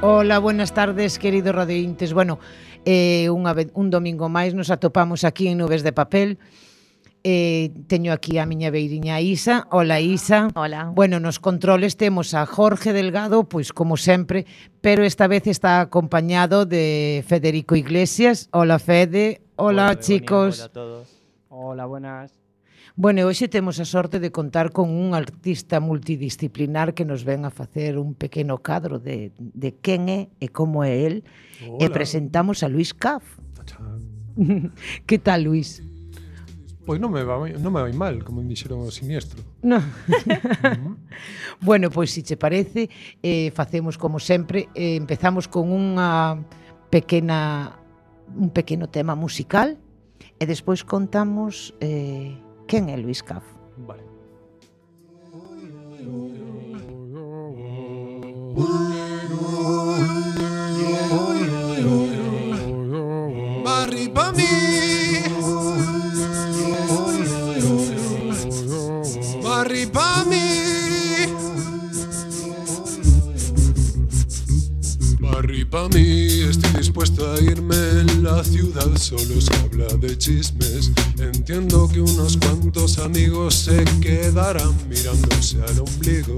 Hola, buenas tardes, queridos radiointes. Bueno, un domingo máis nos atopamos aquí en Nubes de Papel. Teño aquí a miña beiriña Isa. Hola, Isa. Hola. Bueno, nos controles temos a Jorge Delgado, pois como sempre, pero esta vez está acompañado de Federico Iglesias. Hola, Fede. Hola, chicos. Hola a todos. Hola, buenas. Bueno, hoxe temos a sorte de contar con un artista multidisciplinar que nos ven a facer un pequeno cadro de quen é e como é el. Hola. E presentamos a Luís Caf. Que tal, Luís? Pois non me vai mal, como dixeron o siniestro. No. Bueno, pois se che parece, facemos como sempre, empezamos con un pequeno tema musical e despois contamos quen é Luís Caf. Vale. Barri pa mí, barri pa mí, barri pa mí. Estoy dispuesto a irme. En la ciudad solo se habla de chismes. Entiendo que unos cuantos amigos se quedarán mirándose al ombligo.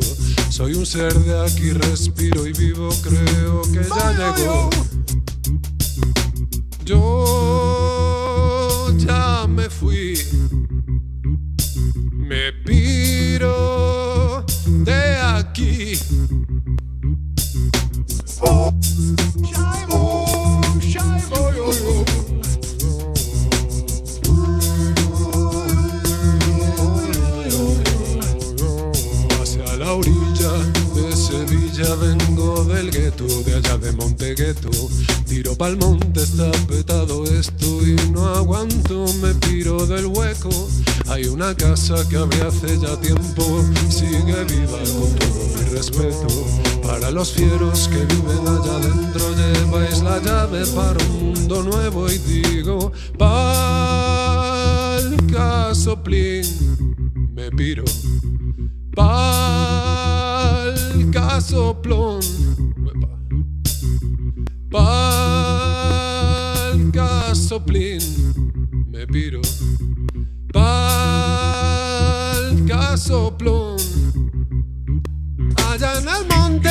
Soy un ser de aquí, respiro y vivo. Creo que ya llegó. Yo ya me fui. Me piro de aquí. Hacia la orilla de Sevilla vengo del gueto, de allá de Montegueto. Tiro pa'l monte, está petado esto y no aguanto, me piro del hueco. Hay una casa que abrí hace ya tiempo, sigue viva con todo mi respeto. Para los fieros que viven allá adentro lleváis la llave para un mundo nuevo y digo, pa'l casoplín, me piro. Pa'l casoplón, pa'l casoplín, me piro. Pa'l casoplón. Allá en el monte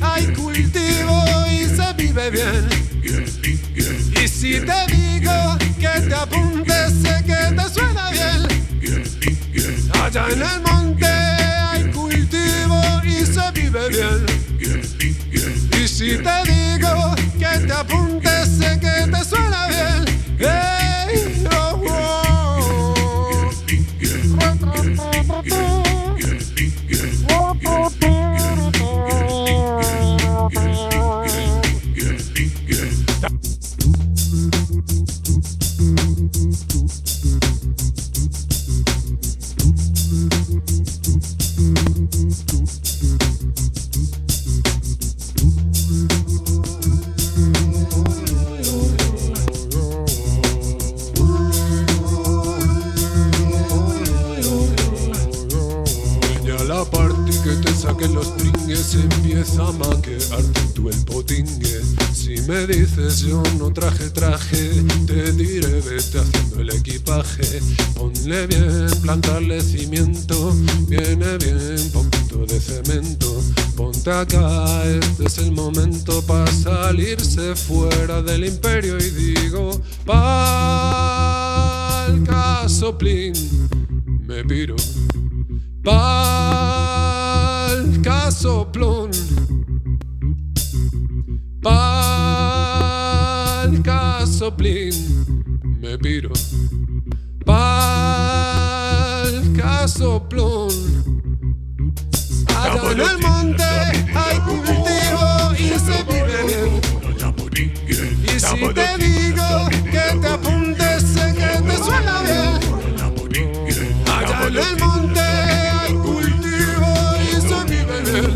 hay cultivo y se vive bien. Y si te digo que te apuntes, sé que te suena bien. Allá en el monte hay cultivo y se vive bien. Y si te digo que te apuntes, sé que te suena bien. Hey, oh, oh. Empieza a maquearte tú el potingue. Si me dices yo no traje, te diré vete haciendo el equipaje. Ponle bien, plantarle cimiento, viene bien poquito de cemento. Ponte acá, este es el momento para salirse fuera del imperio. Y digo, pa'l casoplín, me piro. Pa'l casoplón, pa'l casoplín, me piro. Pa'l casoplón. Allá en el monte hay cultivo y se vive bien. Y si te digo que te apuntes, sé que te suena bien. Allá en el monte hay cultivo y se vive bien.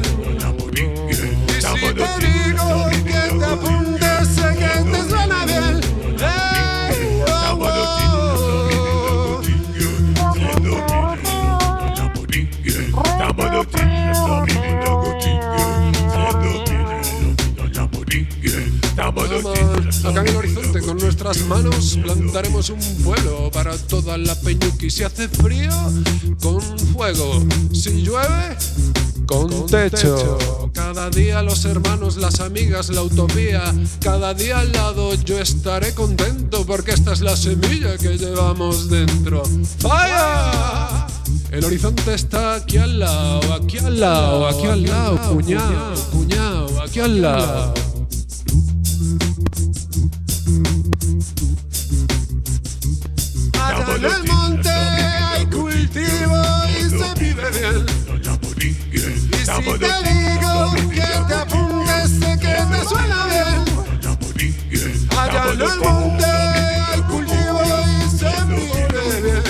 Y si te digo que te apuntes, sé que te suena bien. Hey, oh, oh. Estamos Acá en el horizonte con nuestras manos plantaremos un vuelo para toda la peñuqui. Si hace frío, con fuego. Si llueve, con techo. Cada día los hermanos, las amigas, la utopía. Cada día al lado yo estaré contento porque esta es la semilla que llevamos dentro. ¡Falla! El horizonte está aquí al lado, aquí al lado, aquí al lado, cuñao, cuñao, aquí al lado. Allá en el monte hay cultivo y se vive bien. Y si te digo que te apuntes, sé que te suena bien. Allá en el monte hay cultivo y se vive bien.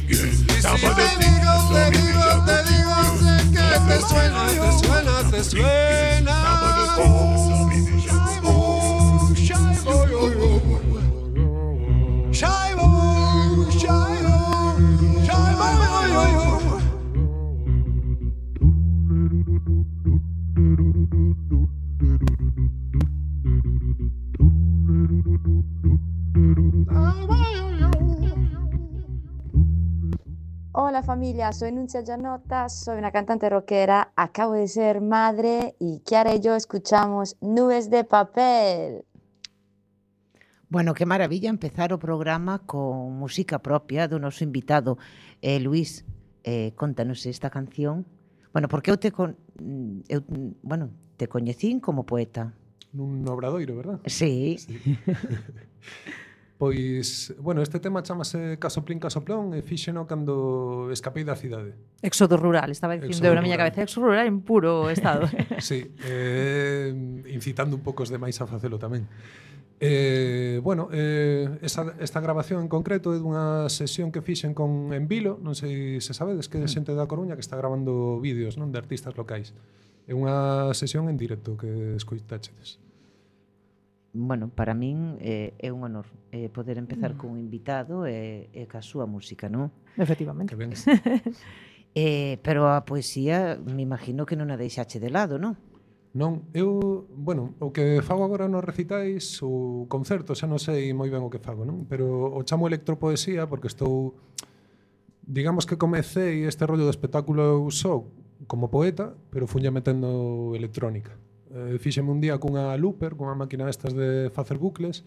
Y si te digo, sé que te suena, te suena, te suena. Hola familia, soy Nuncia Gianotta, soy una cantante rockera, acabo de ser madre y Kiara y yo escuchamos Nubes de Papel. Bueno, que maravilla empezar o programa con música propia do noso invitado. Luís, contanos esta canción. Bueno, porque eu te coñecín como poeta. Nun obradoiro, verdad? Sí. Pois, bueno, este tema chamase Casoplín Casoplón e fíxeno cando escapei da cidade. Éxodo rural, estaba dicindo eu na miña cabeza, éxodo rural en puro estado. Sí, incitando un pouco os demais a facelo tamén. Esta grabación en concreto é dunha sesión que fixen con Envilo, non sei se sabedes que é xente da Coruña que está grabando vídeos, non, de artistas locais. É unha sesión en directo que escoitachedes. Bueno, para min é un honor poder empezar con un invitado e ca súa música, non? Efectivamente. Pero a poesía, me imagino que non a deixache de lado, non? Non, o que fago agora nos recitais, o concerto, xa non sei moi ben o que fago, non? Pero o chamo electropoesía porque estou, digamos que comecei este rollo do espectáculo eu só como poeta, pero funlle metendo electrónica. Fíxeme un día cunha looper, cunha máquina destas de facer bucles,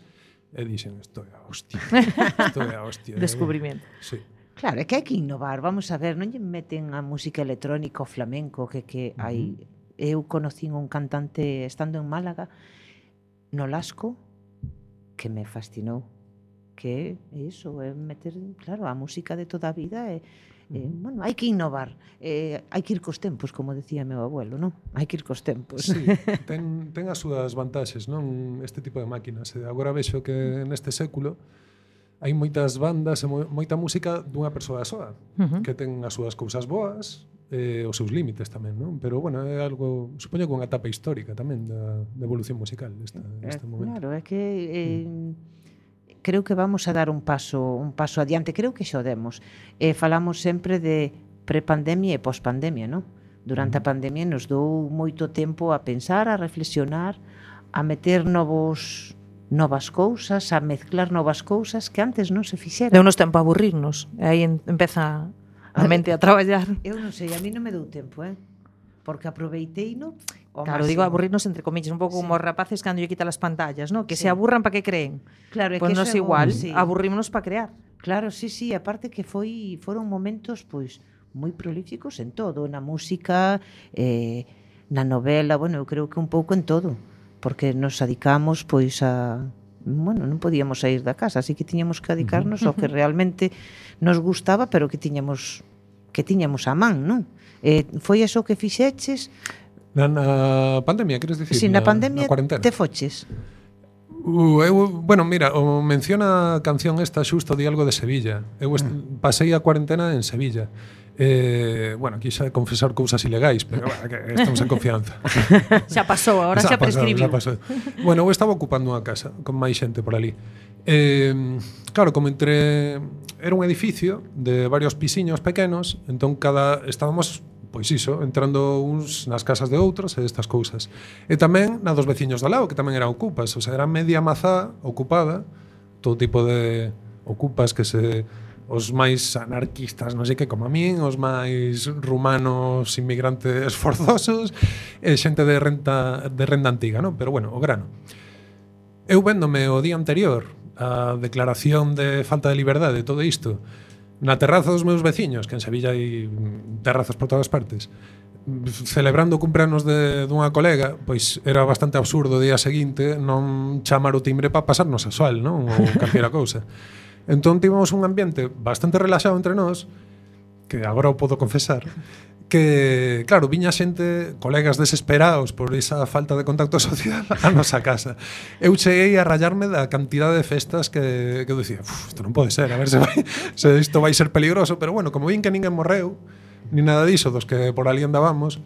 e dixen, isto é a hostia, isto é a hostia. Descubrimento. Sí. Claro, é que hai que innovar, vamos a ver, non lle meten a música electrónica o flamenco que hai. Eu conocín un cantante estando en Málaga no Lasco que me fascinou, que é iso, é meter, claro, a música de toda a vida bueno, hai que innovar, hai que ir cos tempos, como decía meu abuelo, non? Hai que ir cos tempos. Sí, ten as súas vantaxes, non? Este tipo de máquinas. Agora vexo que neste século hai moitas bandas e moita música dunha persoa soa, que ten as súas cousas boas, os seus límites tamén, non? Pero, bueno, é algo, supoño que unha etapa histórica tamén da evolución musical este momento. Claro, é que creo que vamos a dar un paso adiante, creo que xa o demos. Falamos sempre de prepandemia e pospandemia, non? Durante a pandemia nos dou moito tempo a pensar, a reflexionar, a meter novas cousas, a mezclar novas cousas que antes non se fixeran. Deu-nos tempo a aburrirnos, e aí empeza a mente a traballar. Eu non sei, a mí non me dou tempo, porque aproveiteino. Claro, digo aburrirnos entre comillas, un pouco como os rapaces cando lle quitan as pantallas, ¿no? Que se aburran para que creen. Claro, é pois que nos igual, aburrímonos para crear. Claro, sí, aparte que foron momentos pois moi prolíficos en todo, na música, na novela, bueno, eu creo que un pouco en todo, porque nos adicamos pois a non podíamos sair da casa, así que tiñamos que dedicarnos ao que realmente nos gustaba, pero que tiñamos a man, non? Foi eso que fixeches? Na pandemia, queres dicir? Si, na pandemia te foches. Bueno, mira, menciona a canción esta xusto de algo de Sevilla. Eu pasei a cuarentena en Sevilla. Bueno, aquí xa confesar cousas ilegais, pero bueno, que estamos en confianza. Xa pasou, agora xa prescribiu. Bueno, eu estaba ocupando unha casa con máis xente por ali. Claro, como era un edificio de varios pisiños pequenos, entón estábamos pois iso, entrando uns nas casas de outros e estas cousas. E tamén na dos veciños do lado, que tamén eran ocupas, o sea, era media mazá ocupada, todo tipo de ocupas que os máis anarquistas, non sei que, como a min, os máis rumanos inmigrantes forzosos e xente de renda antiga, non? Pero bueno, o grano. Eu véndome o día anterior a declaración de falta de liberdade, todo isto, na terraza dos meus veciños, que en Sevilla hai terrazas por todas partes, celebrando o cumpleanos dunha colega, pois era bastante absurdo o día seguinte non chamar o timbre para pasarnos a sol, non? Ou calquera cousa. Entón tivemos un ambiente bastante relaxado entre nós, que agora o podo confesar, que, claro, viña xente, colegas desesperados por esa falta de contacto social a nosa casa. Eu cheguei a rayarme da cantidade de festas que eu dicía, isto non pode ser, a ver se isto vai ser peligroso, pero bueno, como vin que ninguén morreu, ni nada diso dos que por ali andábamos,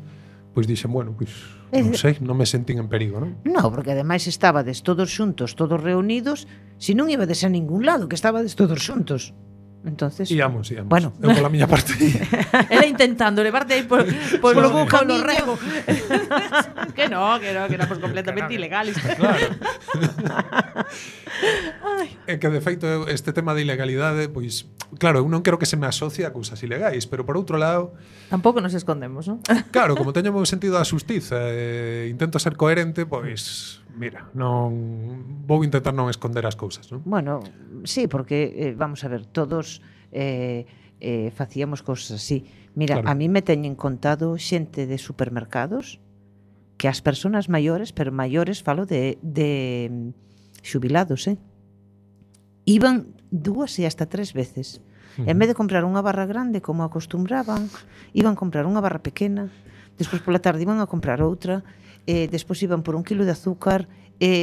pois dixen, bueno, pois non sei, non me sentín en perigo, non? No, porque ademais estabades todos xuntos, todos reunidos, se non ibades a ningún lado, que estabades todos xuntos. Entonces, íamos. Bueno, eu pola miña parte. Era intentando levarte aí por polo bo camiño. rego. que éramos completamente ilegales. Claro. É que de feito este tema de ilegalidade, pois claro, eu non quero que se me asocie a cousas ilegais, pero por outro lado, tampouco nos escondemos, non? Claro, como teño o meu sentido da xustiza e intento ser coherente, pois mira, non vou intentar non esconder as cousas, non? Bueno, sí, porque vamos a ver, todos facíamos cousas así. Mira, Claro. a mí me teñen contado xente de supermercados que as persoas maiores, pero maiores falo de xubilados, iban 2 e hasta 3 veces. En vez de comprar unha barra grande como acostumbraban, iban a comprar unha barra pequena, despois pola tarde iban a comprar outra, despois iban por 1 kilo de azúcar,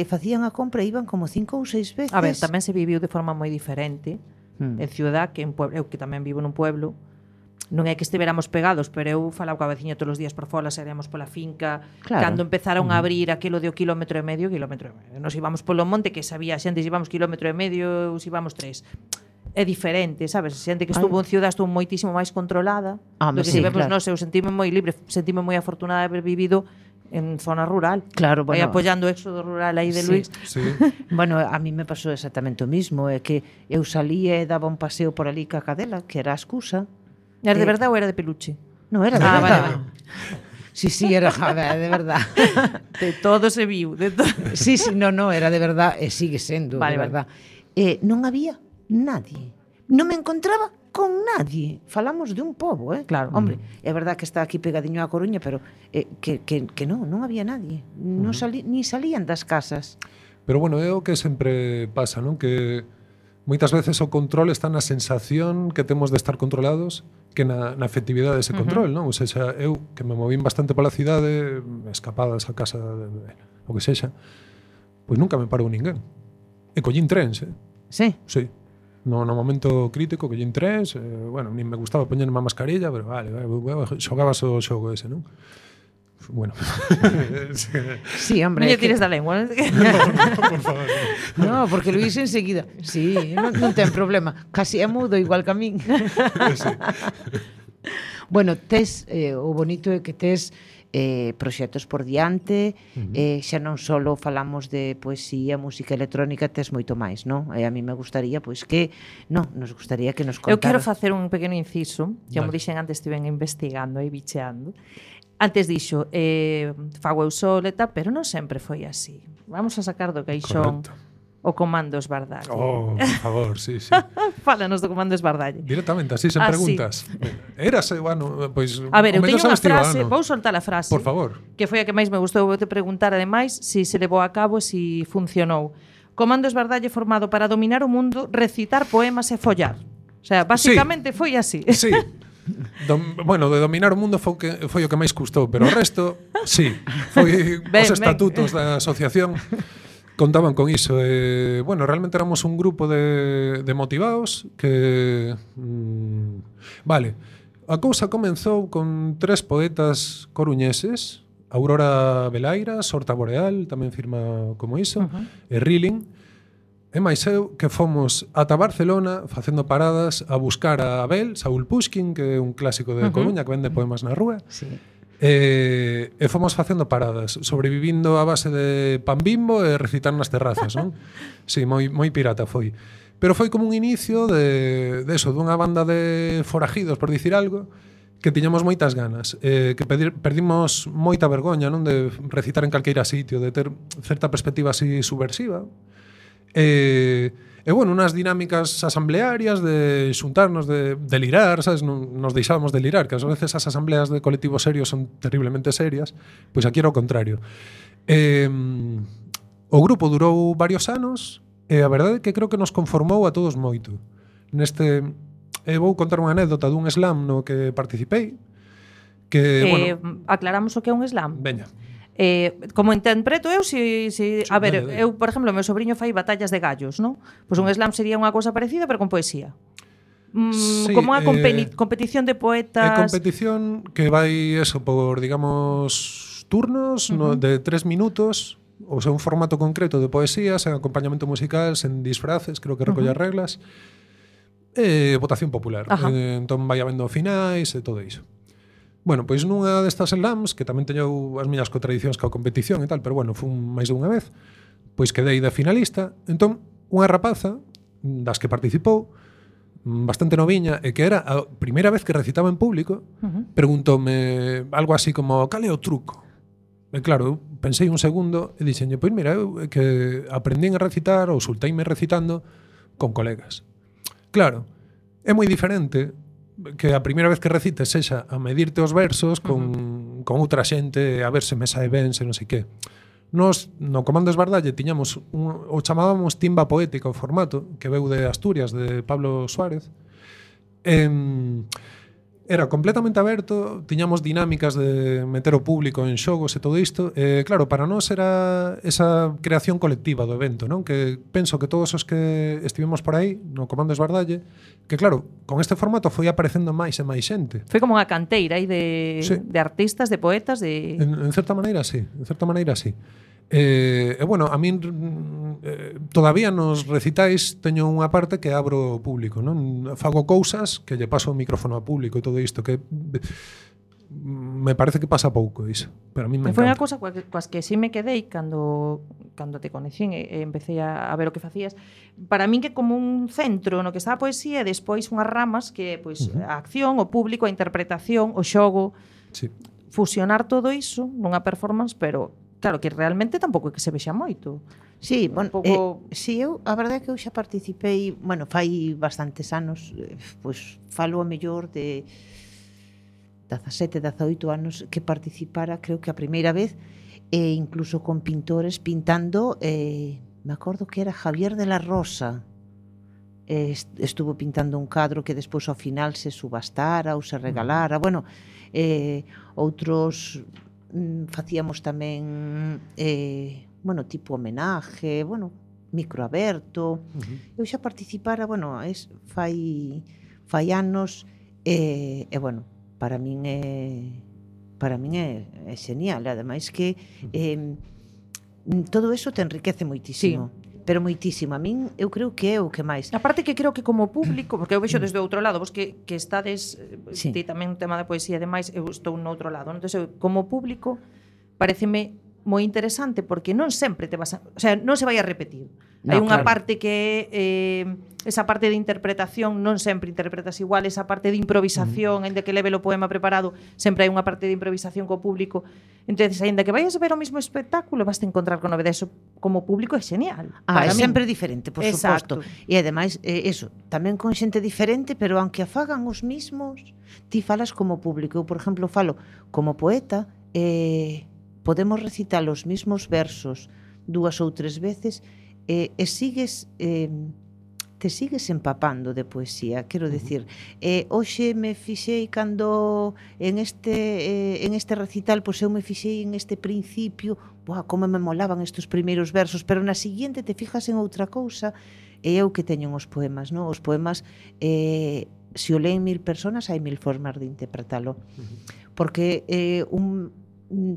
facían a compra e iban como 5 ou 6 veces. A ver, tamén se viviu de forma moi diferente en ciudad que en pueblo. Eu que tamén vivo nun pueblo, non é que estiveramos pegados, pero eu falaba coa veciña todos os días por fora, saíamos pola finca, Claro. cando empezaron a abrir aquilo de o kilómetro e medio. Nos íbamos polo monte, que sabía xente, íbamos kilómetro e medio, íbamos 3. É diferente, sabes? Xente que estuvo en ciudad estuvo moitísimo máis controlada. Do que sí, vemos claro. nós, eu sentime moi libre, sentime moi afortunada de haber vivido en zona rural. Claro, Aí bueno. apoyando o éxodo rural aí de Sí. Luis. Sí. Bueno, a mí me pasou exactamente o mismo, é que eu salía e daba un paseo por ali ca cadela, que era a excusa. Era de verdade ou era de peluche? No, era de Ah, verdad. vale. Sí, era de verdad. De todo se viu, de todo. Sí, no, era de verdad e sigue sendo, Vale, de verdad. Non había nadie. Non me encontraba con nadie. Falamos de un pobo, Claro. Hombre, é verdad que está aquí pegadiño a Coruña, pero que non había nadie. Non ni salían das casas. Pero bueno, é o que sempre pasa, non? Que moitas veces o control está na sensación que temos de estar controlados que na efectividade dese control, non? Ou seja, eu que me movín bastante pola cidade, escapadas a casa, o que sexa, pois nunca me parou ninguén. E collín trens, Sí. Sí. No momento crítico collín trens, bueno, nin me gustaba poñerme a mascarilla, pero vale, xogabas o xogo ese, non? Bueno. Sí, hombre. Non lle é que- tires da lengua. Por favor. No, porque Luís enseguida. Sí, non ten problema. Casi é mudo igual que a min. Sí. Bueno, tes o bonito é que tes proxectos por diante, xa non só falamos de poesía, música electrónica, tes moito máis, non? E a mí me gustaría, pois que, nos gustaría que nos Eu quero contara. facer un pequeno inciso, que como Vale. dixen antes, estiven investigando e bicheando. Antes dixo, fago eu soleta, pero non sempre foi así. Vamos a sacar do caixón Correcto. o comando esbardalle. Oh, por favor, sí, sí. Fálanos do comando esbardalle. Directamente, así, sen Así. preguntas. Érase, bueno, pois... A ver, eu teño unha frase, Estivano. vou soltar a frase. Por favor. Que foi a que máis me gustou. Vou te preguntar, ademais, si se levou a cabo, si funcionou. Comando esbardalle formado para dominar o mundo, recitar poemas e follar. O sea, basicamente foi así. Sí. Bueno, de dominar o mundo foi o que máis custou, pero o resto, sí. Foi Ben, os ben. estatutos da asociación contaban con iso. Bueno, realmente éramos un grupo de motivados que... vale, a cousa comenzou con 3 poetas coruñeses, Aurora Velaira, Sorta Boreal, tamén firma como iso, e Rilling, E máis eu que fomos ata Barcelona facendo paradas a buscar a Abel, Saúl Pushkin, que é un clásico de Coruña que vende poemas na rúa. Sí. E fomos facendo paradas, sobrevivindo a base de pan Bimbo e recitar nas terrazas, non? Sí, moi pirata foi. Pero foi como un inicio de eso, dunha banda de forajidos, por dicir algo, que tiñamos moitas ganas, que perdimos moita vergoña, non, de recitar en calqueira sitio, de ter certa perspectiva así subversiva. E bueno, unas dinámicas asamblearias de xuntarnos, de delirar, sabes? Nos deixábamos delirar, que ás veces as asambleas de colectivos serios son terriblemente serias, pois aquí era o contrario. O grupo durou varios anos e a verdade é que creo que nos conformou a todos moito. Vou contar unha anécdota dun slam no que participei, que, bueno... Aclaramos o que é un slam. Veña. Como interpreto eu, a ver, dale. eu, por exemplo, meu sobriño fai batallas de gallos, non? Pois un slam sería unha cousa parecida, pero con poesía. Sí, como unha competición de poetas. É competición que vai eso por, digamos, turnos de 3 minutos, ou sea, un formato concreto de poesía, sen acompañamento musical, sen disfraces, creo que recolle as reglas. Votación popular. Entón vai habendo finais e todo iso. Bueno, pois nunha destas slams, que tamén teño as miñas contradicións coa competición e tal, pero bueno, fun máis de unha vez, pois quedei de finalista. Entón, unha rapaza das que participou, bastante noviña, e que era a primeira vez que recitaba en público, preguntoume algo así como, cal é o truco? E claro, eu pensei un segundo e dixenlle, pois mira, eu que aprendín a recitar ou solteime recitando con colegas. Claro, é moi diferente que a primeira vez que recites sexa a medirte os versos con outra xente, a ver se me sae ben, se non sei que. Nos, no Comando Esbardalle, tiñamos o chamábamos timba poética o formato, que veu de Asturias, de Pablo Suárez. Era completamente aberto, tiñamos dinámicas de meter o público en xogos e todo isto. Claro, para nós era esa creación colectiva do evento, non? Que penso que todos os que estivemos por aí no Comando Esbardalle, que claro, con este formato foi aparecendo máis e máis xente. Foi como unha canteira aí de artistas, de poetas, de... En certa maneira, sí. En certa maneira, sí. Bueno, a min todavía nos recitais teño unha parte que abro ao público, non? Fago cousas que lle paso o micrófono ao público e todo isto, que me parece que pasa pouco iso, pero a mí me encanta. Foi unha cousa coas que sí me quedei cando te conecín e empecé a ver o que facías. Para min que como un centro no que está a poesía e despois unhas ramas que pois a acción, o público, a interpretación, o xogo, fusionar todo iso nunha performance, pero claro, que realmente tampouco é que se vexa moito. Sí, bueno, si eu, a verdade é que eu xa participei, bueno, fai bastantes anos, pois falo a mellor de 17, 18 anos que participara, creo que a primeira vez, incluso con pintores pintando, me acordo que era Javier de la Rosa, estuvo pintando un cadro que despois ao final se subastara ou se regalara, bueno, outros facíamos tamén bueno, tipo homenaje, bueno, microaberto. Eu xa participara, bueno, fai anos e bueno, para min é genial, ademais que todo eso te enriquece moitísimo. Pero moitísimo. A min, eu creo que é o que máis. A parte que creo que como público, porque eu vexo desde o outro lado, vos que estades, ti tamén un tema de poesía e demais, eu estou no outro lado. Entón, eu, como público, pareceme moi interesante porque non sempre te vas a... O sea, non se vai a repetir. Hai unha parte que esa parte de interpretación non sempre interpretas igual, esa parte de improvisación, ainda que leve o poema preparado, sempre hai unha parte de improvisación co público. Entonces, ainda que vayas a ver o mismo espectáculo, vas a encontrar con novedades. Como público é genial. É sempre diferente, por suposto. E ademais, eso, tamén con xente diferente, pero aunque a fagan os mismos, ti falas como público. Eu, por exemplo, falo como poeta, podemos recitar os mismos versos 2 ou 3 veces e sigues te sigues empapando de poesía, quero decir, hoxe me fixei cando en este recital, pois eu me fixei en este principio, como me molaban estes primeiros versos, pero na seguinte te fijas en outra cousa, e eu que teño os poemas, non? Os poemas se o leen 1000 personas, hai 1000 formas de interpretalo. Porque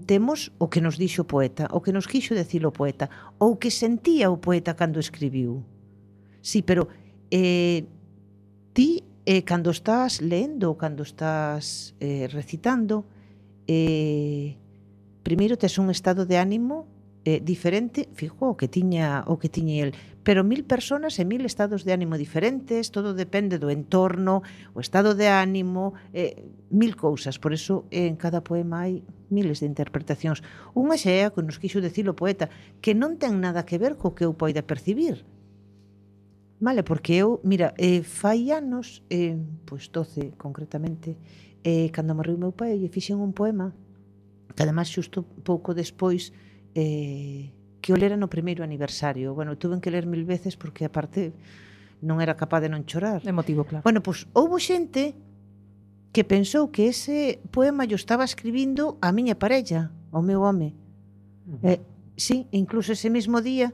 temos o que nos dixo o poeta, o que nos quixo decir o poeta, ou que sentía o poeta cando escribiu. Sí, pero ti, cando estás lendo, cando estás recitando, primeiro tes un estado de ánimo diferente, fijo, o que tiña el, pero 1000 personas e 1000 estados de ánimo diferentes, todo depende do entorno, o estado de ánimo, 1000 cousas, por eso en cada poema hai miles de interpretacións. Unha xa é a que nos quixo decir o poeta, que non ten nada que ver co que eu poida percibir. Vale, porque eu, mira, fai anos, pois 12 concretamente, cando morreu meu pai, lle fixen un poema, que además xusto pouco despois que o lera no primeiro aniversario. Bueno, tuve que ler 1000 veces porque aparte non era capaz de non chorar. Emotivo, claro. Bueno, pois houbo xente que pensou que ese poema yo estaba escribindo a miña parella, ao meu home. Sí, incluso ese mesmo día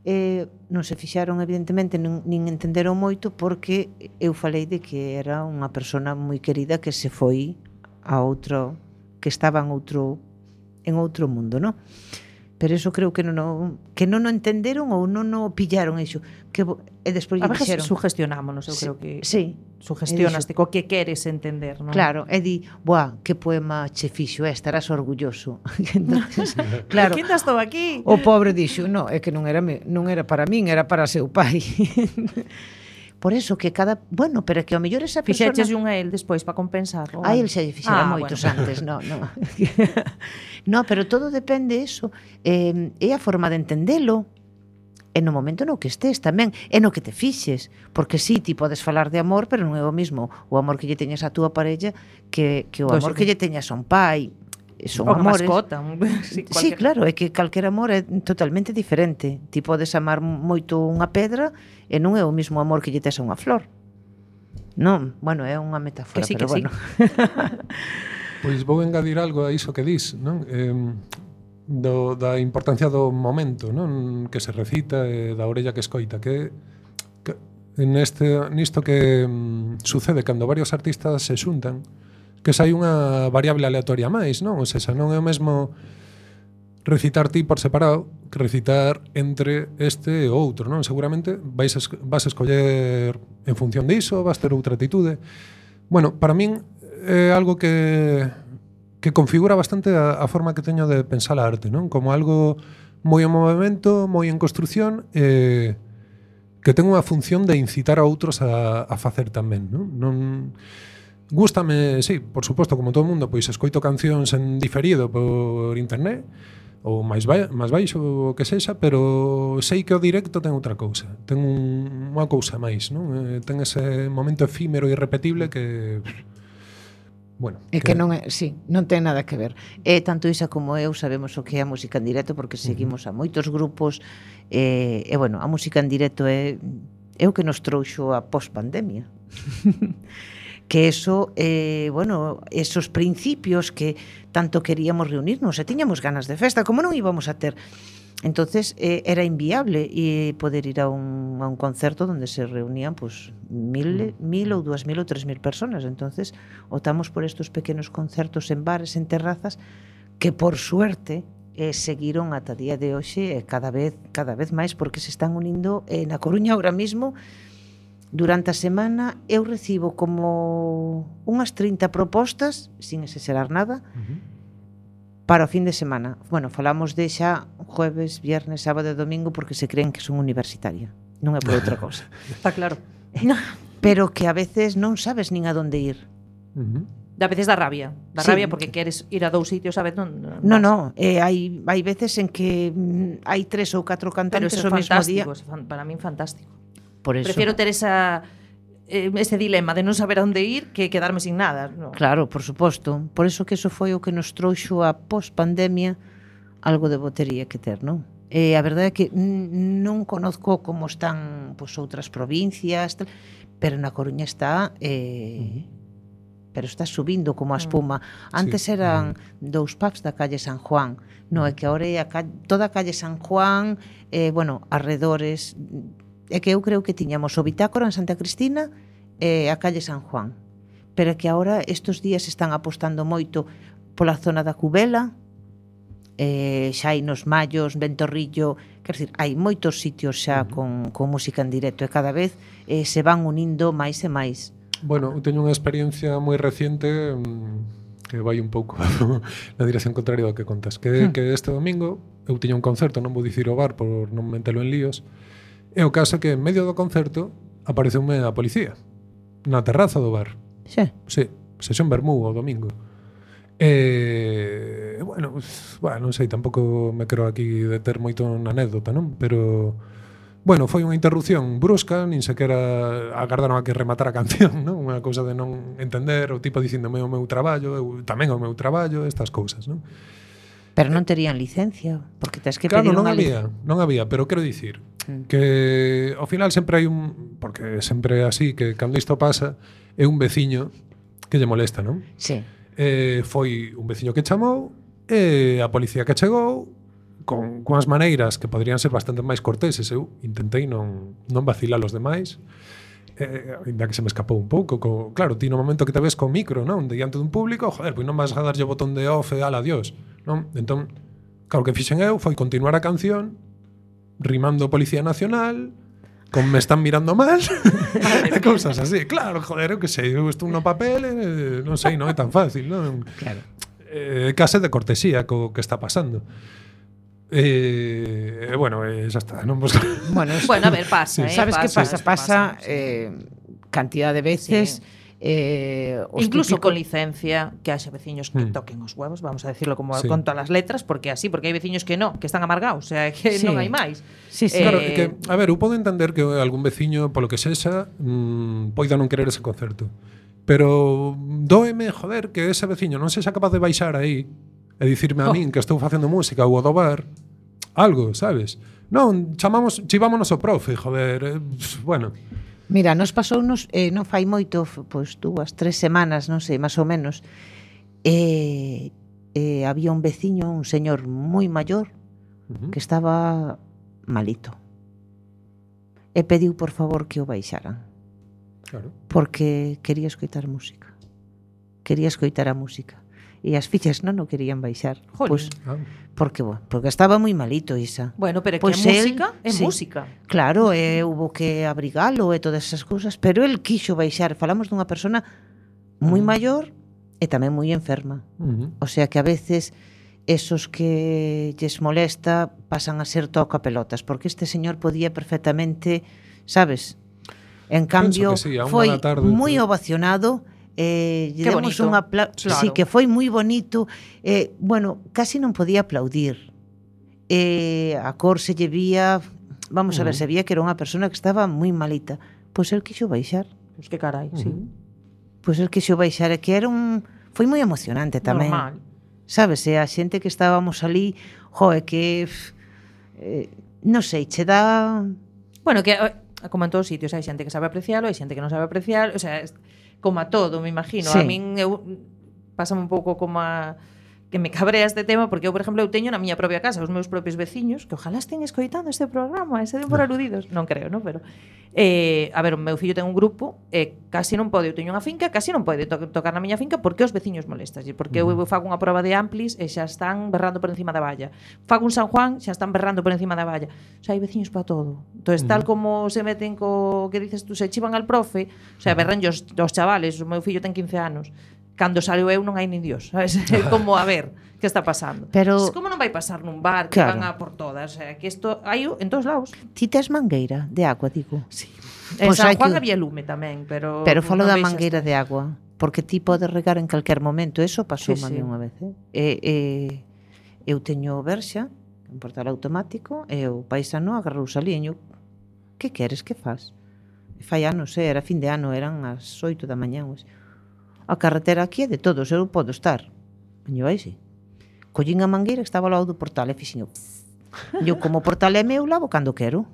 non se fixaron evidentemente nin entenderon moito porque eu falei de que era unha persona moi querida que se foi a outro, que estaba en outro mundo, non? Pero eso creo que non o entenderon ou non o pillaron iso. E despois lle dixeron... A veces sugestionámonos, eu creo que sí, sugestionaste co que queres entender, non? Claro, e di, buah, que poema che fixo, estarás orgulloso. Entonces, claro, que ainda estou aquí. O pobre dixo, no, é que non era para min, era para seu pai. Por eso que cada... Bueno, pero que ao mellor esa persona... Fixeches un a él despois para compensar. A él xa lle fixera moitos antes, no. No, pero todo depende eso. É a forma de entendelo. E no momento no que estés tamén. E no que te fixes. Porque sí, ti podes falar de amor, pero non é o mismo o amor que lle teñas a túa parella que o amor que lle teñas a un pai. Son amores. Mascota. Sí, claro, é que calquer amor é totalmente diferente. Ti podes amar moito unha pedra e non é o mismo amor que lle tes a unha flor. Non, bueno, é unha metáfora, que sí, pero bueno. Pois vou engadir algo a iso que dis, non? Da importancia do momento, non? Que se recita e da orella que escoita, que nisto que sucede cando varios artistas se xuntan, que sai unha variable aleatoria máis, non? Ou seja, non é o mesmo recitar ti por separado que recitar entre este e outro, non? Seguramente vas escoller en función diso, vas ter outra atitude. Bueno, para min é algo que configura bastante a forma que teño de pensar a arte, non? Como algo moi en movimento, moi en construción, que ten unha función de incitar a outros a facer tamén, non? Gústame, sí, por suposto, como todo o mundo, pois escoito cancións en diferido por internet ou máis baixo o que sexa, pero sei que o directo ten outra cousa, ten unha cousa máis, non? Ten ese momento efímero e irrepetible que bueno, é que non é, sí, non ten nada que ver. Tanto Isa como eu sabemos o que é a música en directo porque seguimos a moitos grupos e bueno, a música en directo é o que nos trouxo a pospandemia. Que eso, bueno, esos principios que tanto queríamos reunirnos e tiñamos ganas de festa, como non íbamos a ter. Entonces era inviable poder ir a un concerto donde se reunían pues 1000 ou 2000 ou 3000 personas. Entonces optamos por estos pequenos concertos en bares, en terrazas, que por suerte seguiron ata día de hoxe cada vez máis, porque se están unindo na Coruña ahora mismo. Durante a semana eu recibo como unhas 30 propostas, sin exagerar nada, para o fin de semana. Bueno, falamos de xa jueves, viernes, sábado e domingo porque se creen que son universitaria. Non é por outra cousa. Está claro. Pero que a veces non sabes nin a donde ir. A veces dá rabia. Dá rabia porque queres ir a dous sitios a vez. Non. Hai veces en que hai 3 ou 4 cantantes o mesmo día. Para min fantástico. Por eso. Prefiero ter ese dilema de non saber a onde ir que quedarme sin nada. No. Claro, por suposto. Por eso que eso foi o que nos trouxo a pospandemia, algo de botería que ter, non? A verdade é que non conozco como están pues, outras provincias, pero na Coruña está... pero está subindo como a espuma. Antes eran 2 pubs da calle San Juan. No, é que agora é toda a calle San Juan, bueno, arredores... É que eu creo que tiñamos o Bitácora en Santa Cristina e a calle San Juan. Pero é que agora estes días están apostando moito pola zona da Cubela, xa hai nos Mallos, Ventorrillo, quer dizer, hai moitos sitios xa con música en directo e cada vez se van unindo máis e máis. Bueno, eu teño unha experiencia moi reciente que vai un pouco na dirección contraria do que contas, que este domingo eu tiña un concerto, non vou dicir o bar por non metelo en líos, e o caso que en medio do concerto apareceume a policía na terraza do bar. Sí. Sí, sesión vermú o domingo. Bueno, non sei, tampouco me quero aquí deter moito na anécdota, non? Pero, bueno, foi unha interrupción brusca, nin sequera agardaron a que rematara a canción, non? Unha cousa de non entender, o tipo dicíndome o meu traballo, eu tamén o meu traballo, estas cousas, non? Pero non terían licencia, porque tens que claro, pedir unha licencia. Non había, pero quero dicir que ao final sempre hai porque sempre é así, que cando isto pasa é un veciño que lle molesta, non? Sí. Foi un veciño que chamou e a policía que chegou con as maneiras que poderían ser bastante máis corteses. Eu intentei non vacilar os demais, ainda que se me escapou un pouco. Claro, ti no momento que te ves con micro, non, diante dun público, joder, pois non vas a darlle o botón de off e ala, adiós, non? Entón, claro, que fixen eu foi continuar a canción rimando Policía Nacional, con me están mirando mal e cousas así. Claro, joder, eu que sei, eu estou no papel, non sei, non é tan fácil, non? Claro. Case de cortesía co que está pasando. Bueno, xa está, non? Pues, bueno, a ver, pasa, sí. Sabes que pasa cantidad de veces. Sí. Incluso con licencia, que haxe veciños que toquen os huevos, vamos a decirlo como con todas as letras, porque hai veciños que non, que están amargados, o sea, que non hai máis. Sí. Claro, que, a ver, eu podo entender que algún veciño, polo que sexa, poida non querer ese concerto. Pero dóeme, joder, que ese veciño non sexa capaz de baixar aí e dicirme a min que estou facendo música ou do bar, algo, sabes? Non, chivámonos o profe, joder, bueno. Mira, nos pasounos, non fai moito, pois 2, 3 semanas, non sei, máis ou menos, había un veciño, un señor moi maior, que estaba malito. E pediu, por favor, que o baixaran. Claro. Porque quería escoitar música. Quería escoitar a música. E as fillas non o querían baixar. Pois, porque estaba moi malito, Isa. Bueno, pero que música é música. Claro, hubo que abrigalo e todas esas cousas, pero el quixo baixar. Falamos dunha persona moi maior e tamén moi enferma. O sea que a veces esos que lles molesta pasan a ser toca pelotas, porque este señor podía perfectamente, sabes? En cambio, foi moi ovacionado. Lle demos un aplauso, claro. Sí, que foi moi bonito. Bueno, casi non podía aplaudir. A cor se lle vía, vamos a ver, se vía que era unha persona que estaba moi malita. Pois el quixo baixar. Pois que carai, sí. Pois el quixo baixar, e que era foi moi emocionante tamén. Normal. Sabes, a xente que estábamos ali, que non sei, che dá... Bueno, que como en todos os sitios hai xente que sabe aprecialo, hai xente que non sabe aprecialo, o sea, como a todo, me imagino. Sí. A min pásame un pouco como a que me cabrea este tema, porque eu, por exemplo, eu teño na miña propia casa os meus propios veciños que ojalá estén escoitando este programa, ese den por aludidos, non creo, non? Pero a ver, o meu fillo ten un grupo e casi non pode, eu teño unha finca, casi non pode tocar na miña finca porque os veciños molestas, porque eu fago unha proba de amplis e xa están berrando por encima da valla. Fago un San Juan, xa están berrando por encima da valla. O sea, hai veciños para todo. Entonces, tal como se meten co que dices tú, se chivan al profe, o sea, berran os chavales, o meu fillo ten 15 anos. Cando saleo eu non hai nin Dios, sabes? Como, a ver, que está pasando? Pero como non vai pasar nun bar que van a por todas? O sea, que isto hai en todos lados. Ti tes mangueira de agua, digo? Sí. En San Juan había lume tamén, pero falo da mangueira de agua, porque ti podes regar en calquer momento. Eso pasou a mí unha vez. Eu teño verxa, un portal automático, e o paisano agarrou saliño. Que queres, que faz? Fai anos, era fin de ano, eran as 8 da mañá. A carretera aquí é de todos, eu podo estar. Veño aí, sí. Collín a mangueira que estaba ao lado do portal e fixen eu. Eu, como o portal é meu, lavo cando quero.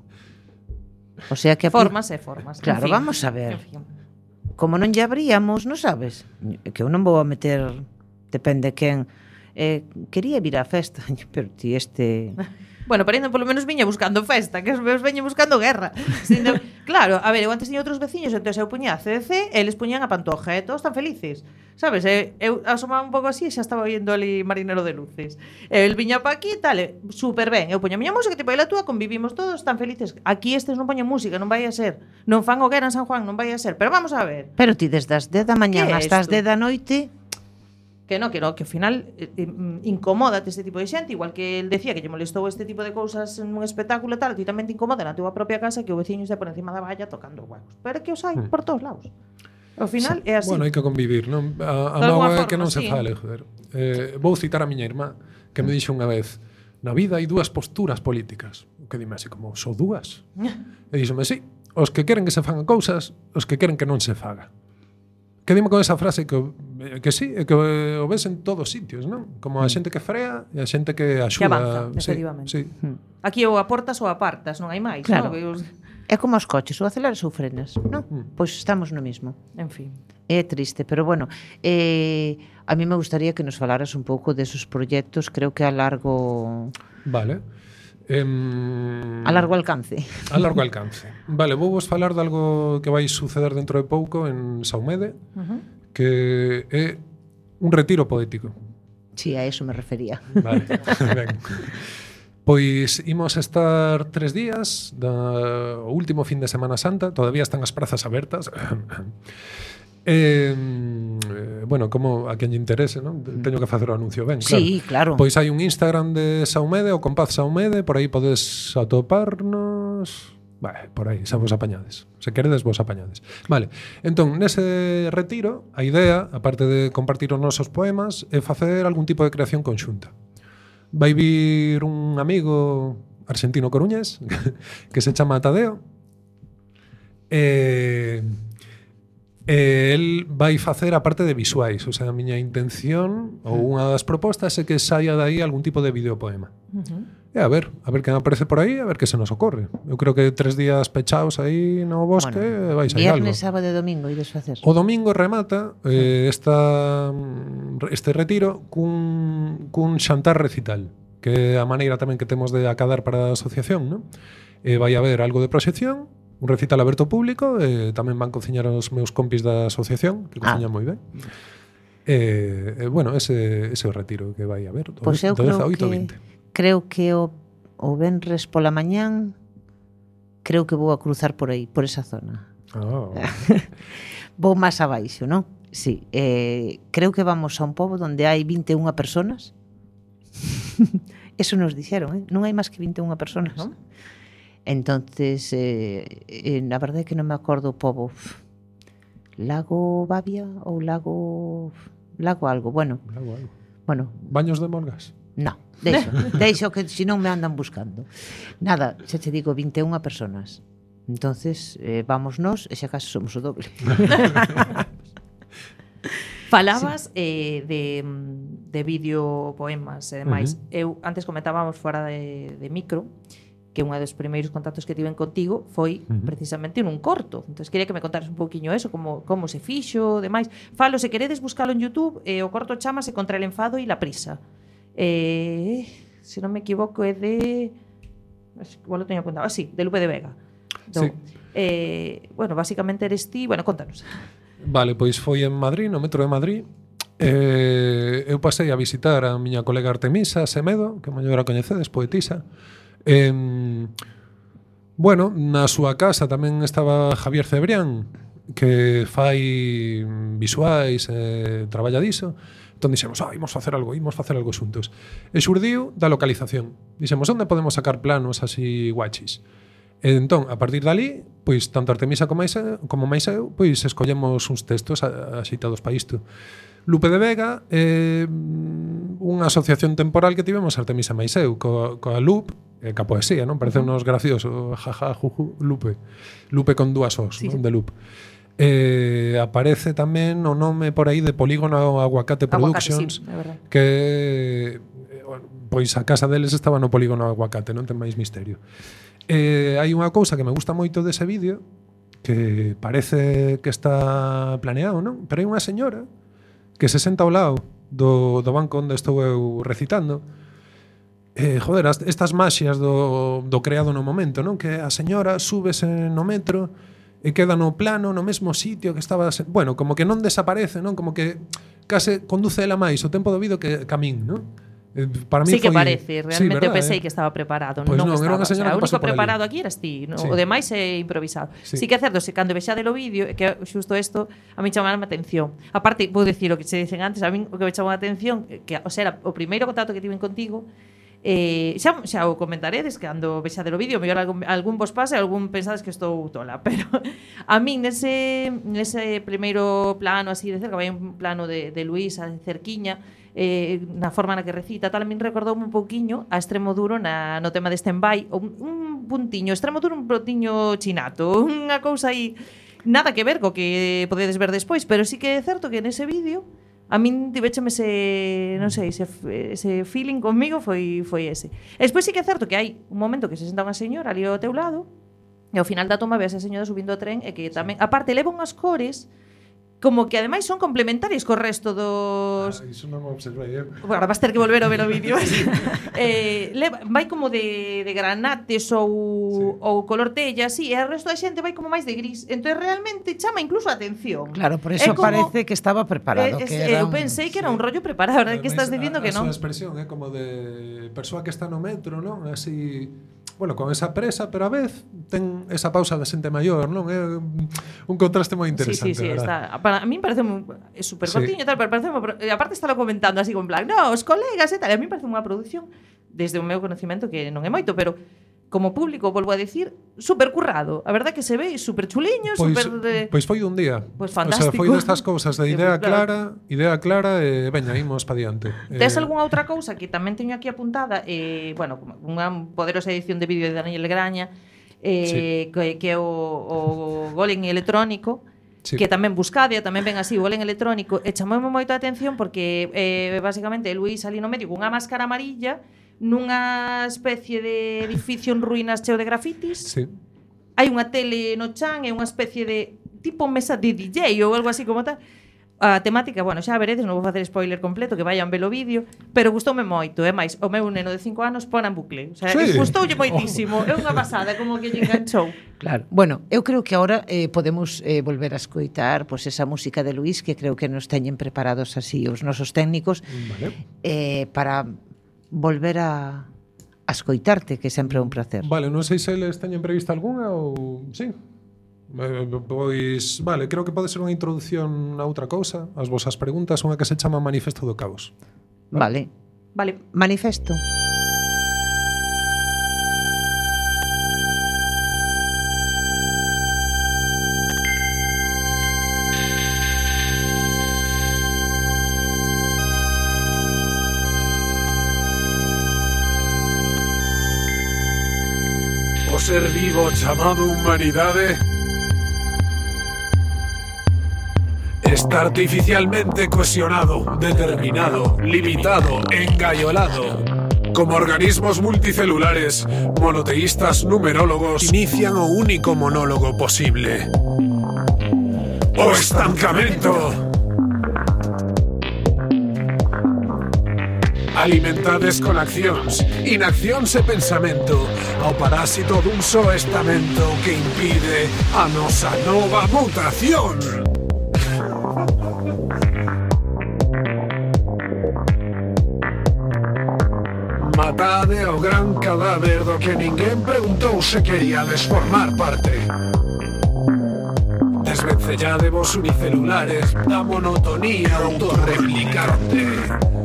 O sea que... Formas. Claro, vamos a ver. Como non lle abríamos, non sabes? Que eu non vou a meter... Depende quen... quería vir á festa, pero ti este... Bueno, pero ainda polo menos viña buscando festa, que os meus veñen buscando guerra. Claro, a ver, eu antes tiña outros veciños, entón eu puña a CDC, eles puñan a Pantoja, e todos tan felices. Sabes, eu asomaba un pouco así e xa estaba viendo ali Marinero de Luces. El viña pa aquí, tal, super ben. Eu poño a miña música, tipo, a túa, convivimos todos tan felices. Aquí estes non poñen música, non vai a ser. Non fan hoguera en San Juan, non vai a ser. Pero vamos a ver. Pero ti desde as 10 da mañá hasta as 10 da noite... Que no, que ao final incomódate este tipo de xente, igual que el decía que lle molestou este tipo de cousas en un espectáculo e tal, ti tamén te incomoda na túa propia casa que o veciño este por encima da valla tocando huevos. Pero é que os hai por todos lados. Ao final é así. Bueno, hai que convivir, non? A mágoa é que non se fale, joder. Vou citar a miña irmá, que me dixo unha vez: na vida hai dúas posturas políticas. O que dime así como, só dúas? E díxome, sí, os que queren que se fagan cousas, os que queren que non se faga. Que dime con esa frase que sí, que o ves en todos sitios, non? Como a xente que frea e a xente que axuda. Que avanza, efectivamente. Sí. Aquí ou aportas ou apartas, non hai máis, Claro. non? É como os coches, ou aceleras ou frenas, non? Pois estamos no mismo. En fin. É triste, pero bueno, a mí me gustaría que nos falaras un pouco desos proxectos, creo que a largo Vale. a largo alcance. A largo alcance. Vale, vou vos falar de algo que vai suceder dentro de pouco en Saumede, que é un retiro poético. Sí, a eso me refería. Vale, ben. Pois imos estar 3 días o último fin de Semana Santa. Todavía están as prazas abertas. Bueno, como a quen lle interese, non? Teño que facer o anuncio ben, claro. Sí, claro. Pois hai un Instagram de Saumede, o Compaz Saumede, por aí podes atoparnos. Vale, por aí, xa vos apañades. Se queredes, vos apañades. Vale, entón, nese retiro, a idea, aparte de compartir os nosos poemas, é facer algún tipo de creación conxunta. Vai vir un amigo argentino coruñés que se chama Tadeo. El vai facer a parte de visuais, o sea, a miña intención ou unha das propostas é que saia dai algún tipo de videopoema. E a ver quen aparece por aí, a ver que se nos ocorre. Eu creo que 3 días pechados aí no bosque vai sair algo. Viernes, sábado e domingo ides facer. O domingo remata este retiro cun xantar recital, que é a maneira tamén que temos de acadar para a asociación, non? Vai haber algo de proxección, un recital aberto ao público, e tamén van cociñar os meus compis da asociación, que cociñan moi ben. Bueno, ese é o retiro que vai haber, Pois eu do 18 ao 20. Creo que o venres pola mañán creo que vou a cruzar por aí, por esa zona. Vou máis abaixo, non? Sí, creo que vamos a un pobo onde hai 21 personas. Eso nos dixeron, non hai máis que 21 personas. ¿No? Entonces, na verdade é que non me acordo o pobo. Lago Babia ou lago algo, bueno. Bueno, Baños de Molgas. no, deixo que se non me andan buscando. Nada, xa te digo, 21 personas. Entonces, vamos nós e xa case somos o doble. Falabas de videopoemas e demais. Eu antes comentábamos fora de micro que un dos primeiros contactos que tiven contigo foi precisamente nun corto. Entón, quería que me contaras un pouquiño eso, como se fixo, demais. Falo, se queredes buscalo en YouTube, o corto chamase Contra el enfado e la prisa. Se non me equivoco é de... Igual lo teño apuntado. Sí, de Lupe de Vega. Sí. Bueno, basicamente eres ti... Bueno, contanos. Vale, pois foi en Madrid, no metro de Madrid. Eu pasei a visitar a miña colega Artemisa Semedo, que mellor a coñecedes, poetisa. Bueno, na súa casa tamén estaba Javier Cebrián, que fai visuais, traballa diso. Entón dixemos, imos facer algo xuntos. E xurdiu da localización. Dixemos, onde podemos sacar planos así guachis? E entón, a partir dali, pois tanto Artemisa como máis eu, pois escollemos uns textos axeitados para isto. Lupe de Vega é unha asociación temporal que tivemos Artemisa máis eu coa Lup e ca poesía, non? Parece unos gracioso, jaja, juju, Lupe con dúas os, sí, non? De Lup. Aparece tamén o nome por aí de Polígono Aguacate Productions, sí, que pois a casa deles estaba no Polígono Aguacate, non ten máis misterio. Hai unha cousa que me gusta moito dese vídeo, que parece que está planeado, non? Pero hai unha señora que se senta ao lado do banco onde estou eu recitando. Joder, estas maxias do creado no momento, non? Que a señora súbese no metro e queda no plano, no mesmo sitio que estaba... Bueno, como que non desaparece, non? Como que case conduce ela máis o tempo do vídeo que a min, non? Para mí sí que foi... parece, realmente eu pensei que estaba preparado, Pois non era unha estaba. señora O que pasou único por ali. preparado aquí eras ti, no? Sí. O demais é improvisado. Sí que é certo, se cando vexade o vídeo, que xusto isto a mí chamaba a atención. Aparte, vou dicir o que se dicen antes, a mí o que me chamou a atención, que o sea, o primeiro contacto que tiven contigo, xa o comentaredes que cando vexade o vídeo, mellor algún vos pase, algún pensades que estou tola, pero a min nese primeiro plano así de cerca, vai un plano de Luís a cerquiña, na forma na que recita, tal, a min recordoume un pouquiño a Extremoduro no tema de stand-by, un puntiño, Extremoduro un puntiño chinato, unha cousa aí nada que ver co que podedes ver despois, pero sí que é certo que nese vídeo a min tivecheme non sei, ese feeling conmigo foi ese. E despois sí que é certo que hai un momento que se senta unha señora ali ao teu lado e ao final da toma ve a esa señora subindo o tren e que tamén, aparte, leva unhas cores como que ademais son complementarias co resto dos... Iso non o observei, Agora vas ter que volver a ver o vídeo. Vai como de granates ou color tella, así, e o resto da xente vai como máis de gris. Entón realmente chama incluso a atención. Claro, por eso parece que estaba preparado. Eu pensei que era un rollo preparado, ahora que estás dicindo que non. A súa expresión é como de persoa que está no metro, non? Así... Bueno, con esa presa, pero a vez ten esa pausa de xente maior, non? É un contraste moi interesante, sí, verdad? Está. Para a min parece super cortiño e tal, pero parece aparte estalo comentando así con plan, no, os colegas e tal, e a mí parece unha produción desde o meu conocimento que non é moito, pero como público, volvo a decir, super currado. A verdade que se ve super chuliño, Pois foi un día. Pois fantástico. O sea, foi destas cousas de idea clara e veña, imos pa diante. Tes algunha outra cousa que tamén teño aquí apuntada, bueno, unha poderosa edición de vídeo de Daniel Graña, que é o Golem electrónico, sí, que tamén buscade, tamén ven así o Golem electrónico, e chamoume moito a atención porque basicamente Luís ali no medio cunha máscara amarilla nunha especie de edificio en ruínas cheo de grafitis. Sí. Hai unha tele no chan e unha especie de tipo mesa de DJ ou algo así como tal. A temática, bueno, xa veredes, non vou facer spoiler completo, que vayan ver o vídeo, pero gustoume moito, é máis, o meu neno de 5 anos pon en bucle, o sea, sí, gustoulle moitísimo, é unha pasada, como que lle enganchou. Claro. Bueno, eu creo que agora podemos volver a escoitar pues, esa música de Luís, que creo que nos teñen preparados así os nosos técnicos, para volver a escoitarte, que sempre é un placer. Vale, non sei se eles teñen prevista algunha ou... Sí. Pois, vale, creo que pode ser unha introducción a outra cousa, as vosas preguntas, unha que se chama Manifesto do Caos. Vale. Manifesto. O ser vivo chamado humanidade está artificialmente cohesionado, determinado, limitado, engaiolado. Como organismos multicelulares, monoteístas numerólogos inician o único monólogo posible: o estancamento. Alimentades con accións, inaccións e pensamento ao parásito dun só estamento que impide a nosa nova mutación. Matade ao gran cadáver do que ninguén preguntou se queríades formar parte. Desvencelládevos unicelulares da monotonía autorreplicante.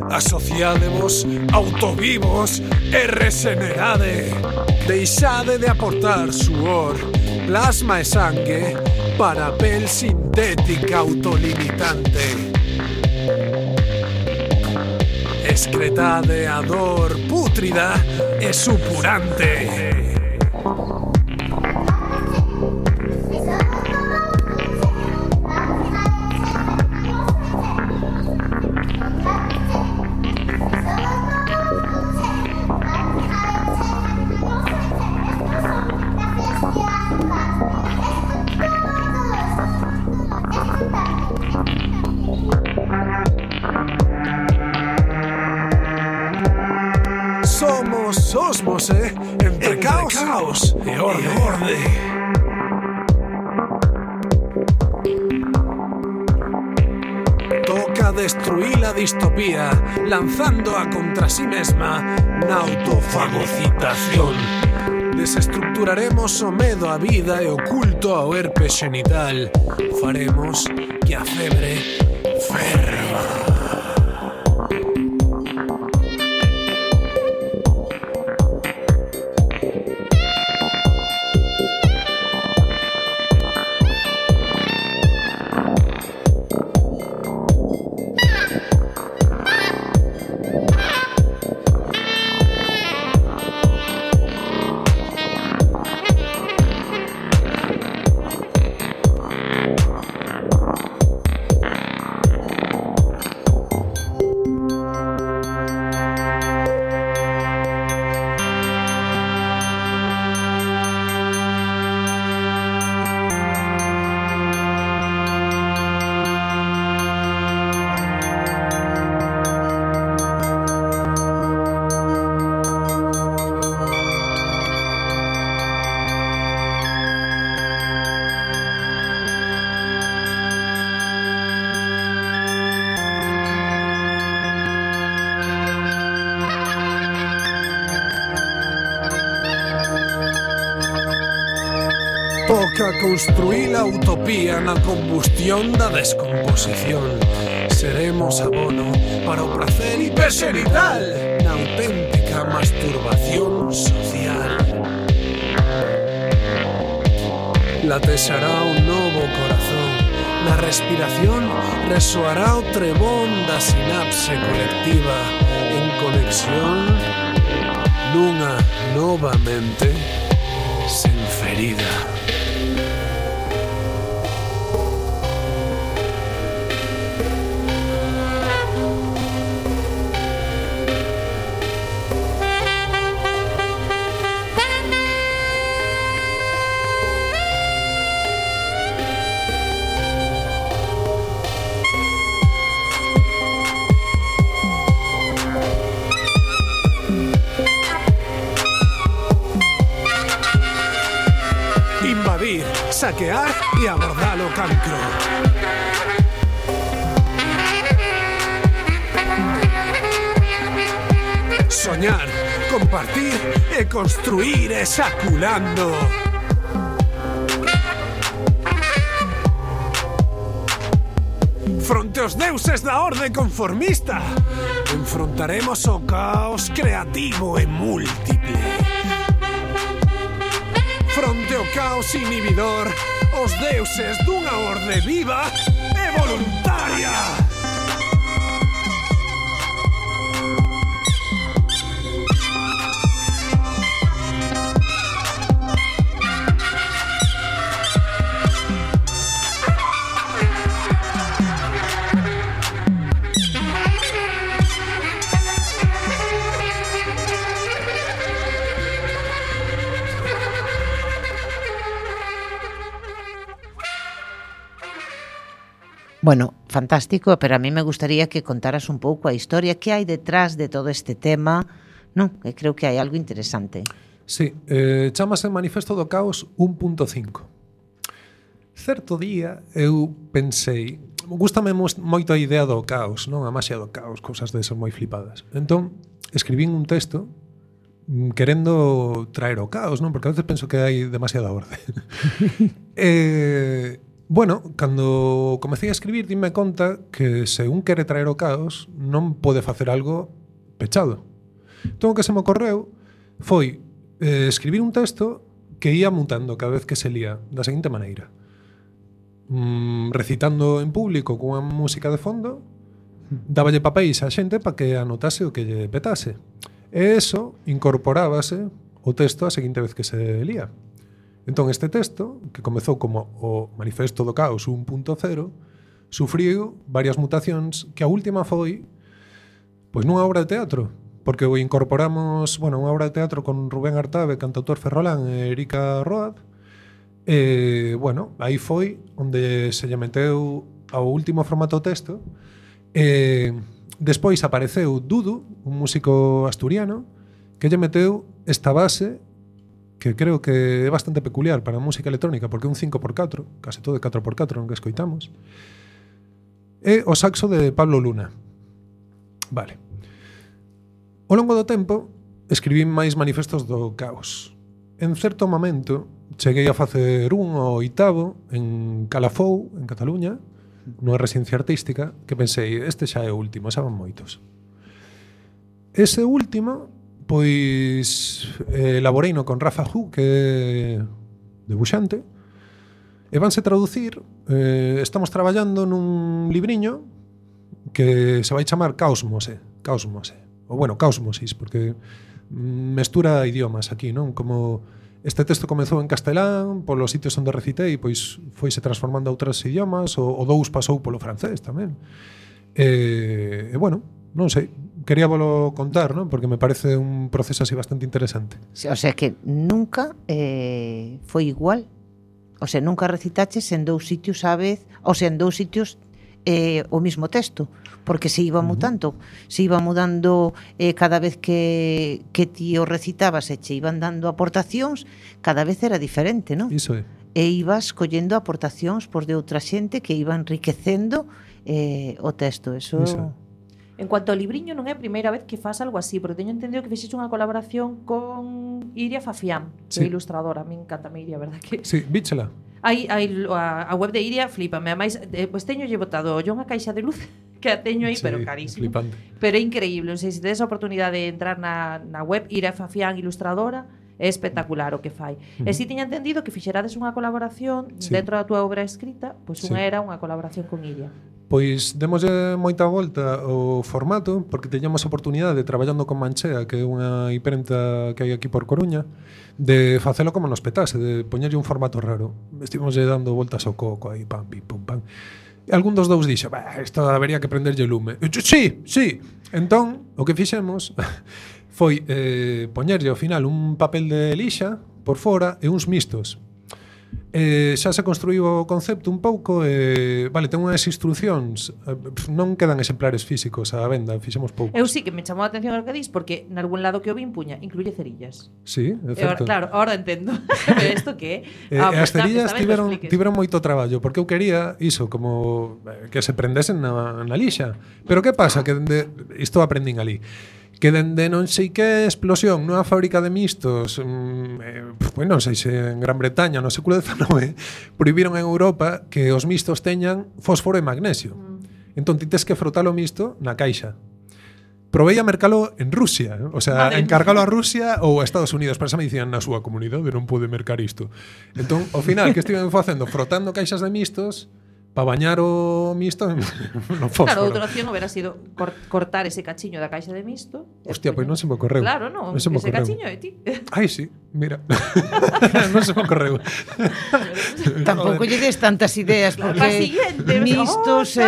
Asociádevos autovivos e resenerade. Deixade de aportar suor, plasma e sangue para pel sintética autolimitante. Excretade a dor pútrida e supurante. Somos osmos, entre caos e orde. destruir a distopía, lanzándoa contra sí mesma na autofagocitación. Desestructuraremos o medo á vida e o culto ao herpes xenital. Faremos que a febre ferva. Toca construir a utopía na combustión da descomposición. Seremos abono para o placer hiperxenital na auténtica masturbación social. Latexará un novo corazón. Na respiración resoará o trebón da sinapse colectiva en conexión nunha nova mente sen ferida. Saquear y abordar o cancro. Soñar, compartir e construir esaculando. Fronte aos deuses da orde conformista, enfrontaremos o caos creativo e múltiple. Fronte ao caos inhibidor, os deuses dunha orde viva e voluntaria. Bueno, fantástico, pero a mí me gustaría que contaras un pouco a historia que hai detrás de todo este tema, non? Que creo que hai algo interesante. Sí, chamase Manifesto do Caos 1.5. Certo día eu pensei, gústame moito a idea do caos, non? A maxia do caos, cousas desas moi flipadas. Entón, escribín un texto querendo traer o caos, non? Porque a veces penso que hai demasiada orde. Bueno, cando comecei a escribir, dime conta que se un quere traer o caos non pode facer algo pechado. Entón, o que se me ocorreu foi escribir un texto que ia mutando cada vez que se lía da seguinte maneira. Recitando en público cunha música de fondo, dáballe papéis á xente para que anotase o que lle petase. E eso incorporábase o texto a seguinte vez que se lía. Entón, este texto, que comezou como o Manifesto do Caos 1.0, sufriu varias mutacións que a última foi pois nunha obra de teatro, porque o incorporamos, bueno, unha obra de teatro con Rubén Artabe, cantautor ferrolán, e Erika Road. Bueno, aí foi onde se lle meteu ao último formato texto. Despois apareceu Dudu, un músico asturiano, que lle meteu esta base que creo que é bastante peculiar para a música electrónica, porque é un 5x4, case todo de 4x4 no que escoitamos. e o saxo de Pablo Luna. Vale. Ao longo do tempo, escribín máis manifestos do caos. En certo momento, cheguei a facer un ao 8º en Calafou, en Cataluña, nunha residencia artística, que pensei, este xa é o último, xa van moitos. Ese último, pois, elaboreino con Rafa Hu, que é debuxante, e vanse traducir, estamos traballando nun libriño que se vai chamar Caosmose, ou bueno, Caosmosis, porque mestura idiomas aquí, non? Como este texto comezou en castelán, polos sitios onde recitei, pois foise transformando a outros idiomas, o dous pasou polo francés tamén. E bueno, non sei, quería volo contar, non? Porque me parece un proceso así bastante interesante. O sea que nunca foi igual. O sea, nunca recitaches en dous sitios á vez, o sea, en dous sitios o mismo texto, porque se iba mudando, cada vez que ti o recitabas e che iban dando aportacións, cada vez era diferente, non? Iso é. E ibas collendo aportacións por de outra xente que iba enriquecendo o texto, eso... En cuanto ao libriño, non é a primeira vez que faz algo así, porque teño entendido que fixeche unha colaboración con Iria Fafián, que é ilustradora. A mí encanta Iria, verdad que... Sí, víchela. A web de Iria flipame. Ademais, pois teño lle botado yo unha caixa de luz que a teño aí, pero carísimo. Flipante. Pero é increíble. Non sei se tedes a oportunidade de entrar na web Iria Fafián ilustradora, é espectacular o que fai. E si tiña entendido que fixerades unha colaboración dentro da túa obra escrita, pois unha era unha colaboración con Iria. Pois demoslle moita volta ao formato, porque teñamos a oportunidade, traballando con Manchea, que é unha imprenta que hai aquí por Coruña, de facelo como nos petase, de poñerlle un formato raro. Estivemoslle dando voltas ao coco aí, pam, pim, pum, pam. E algún dos dous dixo, isto habería que prenderlle lume. E, sí. Entón, o que fixemos foi poñerlle ao final un papel de lixa por fora e uns mistos. Xa se construíu o concepto un pouco, vale, ten unhas instruccións, non quedan exemplares físicos á venda, fixemos poucos. Eu sí que me chamou a atención o que dis, porque nalgún lado que o vi puña, incluye cerillas. Sí, é certo. Claro, ahora entendo. Pero isto que é? As cerillas tiveron moito traballo, porque eu quería iso, como que se prendesen na lixa. Pero que pasa? Que isto aprendín ali. Que dende non sei que explosión nunha fábrica de mistos, non sei se en Gran Bretaña no século XIX, prohibiron en Europa que os mistos teñan fósforo e magnesio. Entón ti tes que frotar o misto na caixa. Provei a mercalo en Rusia, o sea, encargalo a Rusia ou a Estados Unidos, pero xa me dicían na súa comunidade non pode mercar isto. Entón, ao final, que estiven facendo? Frotando caixas de mistos para bañar o misto no fósforo. Claro, outra opción hubiera sido cortar ese cachiño da caixa de misto. Hostia, pois non se me ocorreu. Claro, non, ese cachiño é ti. Ai, sí, mira. Non se me ocorreu. Tampouco lle des tantas ideas, porque mistos...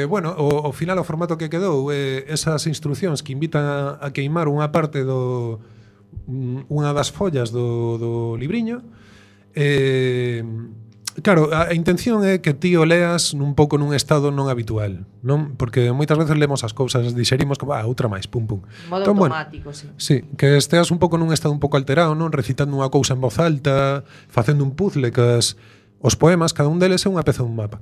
Bueno, ao final o formato que quedou, esas instruccións que invitan a queimar unha parte unha das follas do libriño. Claro, a intención é que ti o leas un pouco nun estado non habitual, non? Porque moitas veces lemos as cousas, dixerimos como, outra máis, pum, pum. Modo automático, sí. Sí, que esteas un pouco nun estado un pouco alterado, non? Recitando unha cousa en voz alta, facendo un puzzle, que os poemas, cada un deles é unha peza dun mapa.